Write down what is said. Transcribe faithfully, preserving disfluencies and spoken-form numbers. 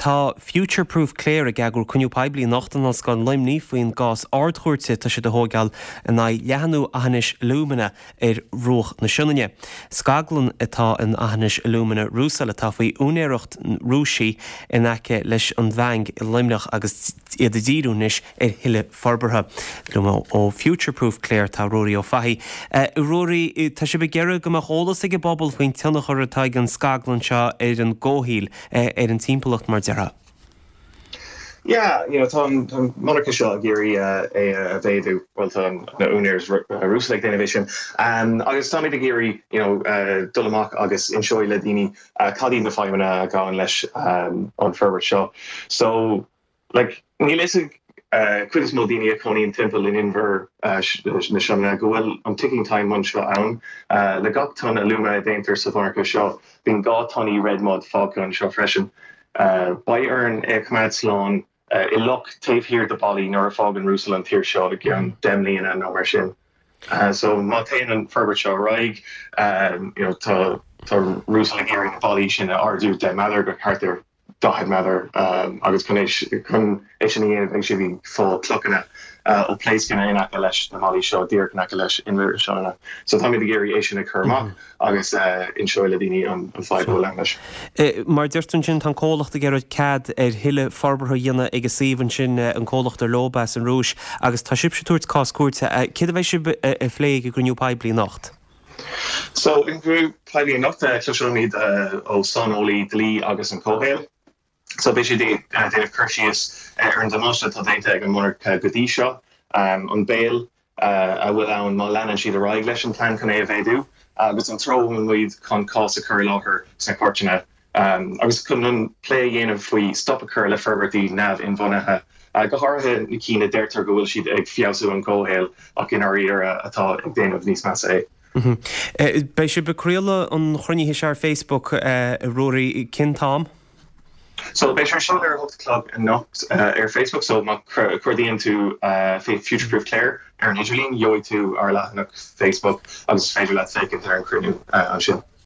Tá Future Proof Clare ag eagrú cruinniú poiblí anocht in Ollscoil Luimnigh faoin gcás Ard-Chúirte atá siad a thógáil in aghaidh leathnú Aughinish Alumina ar bhruach na Sionainne. Scaglann atá in Aughinish Alumina Rusal atá faoi úinéireacht Rúiseach in aice leis an Bheang i Luimneach agus iad ag díriú anois ar thuilleadh forbartha. Liom ó Future Proof Clare tá Ruairí Ó Fathaigh. Ruairí tá sibh ag iarraidh go mbeadh eolas ag an bpobal faoin tionchar atá ag an scaglann seo ar an gcomhshaol ar an timpeallacht mar déarfá. Yeah, you know, tá an monarcha seo ag iarraidh é a mhéadú well tá na úinéirí Rusal ag déanamh sin. Um, agus táimid ag iarraidh you know, uh, dul amach agus inseoidh le daoine uh, cad iad na fadhbanna a ghabhann leis um, an forbairt seo. So like, níl is uh, cuid is mó daoine a chónaíonn timpeall in inbhear uh, na Sionainne go bhfuil an ticking time bomb seo ann uh, le gach ton alúma a déantar sa mhonarcha seo bíonn dhá tonna red mud fágtha anseo freisin. Uh, Beidh orainn é choimeád slán uh, i loch taobh thiar de ballaí nuair a fhágann Rusal an tír seo i gceann deich mbliana nó mar sin. Uh, so má théann an forbairt seo ar aghaidh um, you know, tá tá Rusal ag iarraidh na ballaí sin a ardú deich méadar go thart ar daichead méadar um, agus chun chun é sin a dhéanamh ag si bhí fá clochana uh, ó pléascanna in aice leis na ballaí seo díreach in aice leis inbhear na Sionainne. So tá ag iarraidh é sin a chur amach agus uh, inseoidh le daoine an, an fhadhb leis. Mar deir tú ansin tá comhlacht ag iarraidh cead ar thuilleadh forbartha a dhéanamh ag an suíomh ansin an comhlacht ar leo as an Rúis agus tá sibh ag tabhairt cás cúirte céard a bheidh sibh ag plé ag an gcruinniú poiblí anocht. So in gcruinniú poiblí anocht cloisfimid ó saineolaí dlí agus an comhshaoil. So beidh siad déanamh cur síos ar an damáiste atá déanta ag an monarcha go dtí seo um, an baol uh, a bhfuil ann má leanann siad ar aghaidh leis an plean chun é a mhéadú agus an treo muid chun cás a chur i láthair sna cúirteanna. Um, agus chun an plé a dhéanamh faoi stop a chur le forbairtí neamh-inbhuanaithe. Uh, go háirithe na cinn a deirtear go bhfuil siad ag feabhsú an comhshaol ach in áiríre atá ag déanamh níos measa é. Beidh sibh ag craoladh an chruinnithe seo ar Facebook Ruairí cén t-am? So beidh sé seo ar hocht clog anocht uh, ar Facebook so má chuardaíonn tú uh, Future Proof Clare ar an idirlíon gheobhaidh tú ar leathanach Facebook agus féidir leat féachaint ar an cruinniú uh, ansin.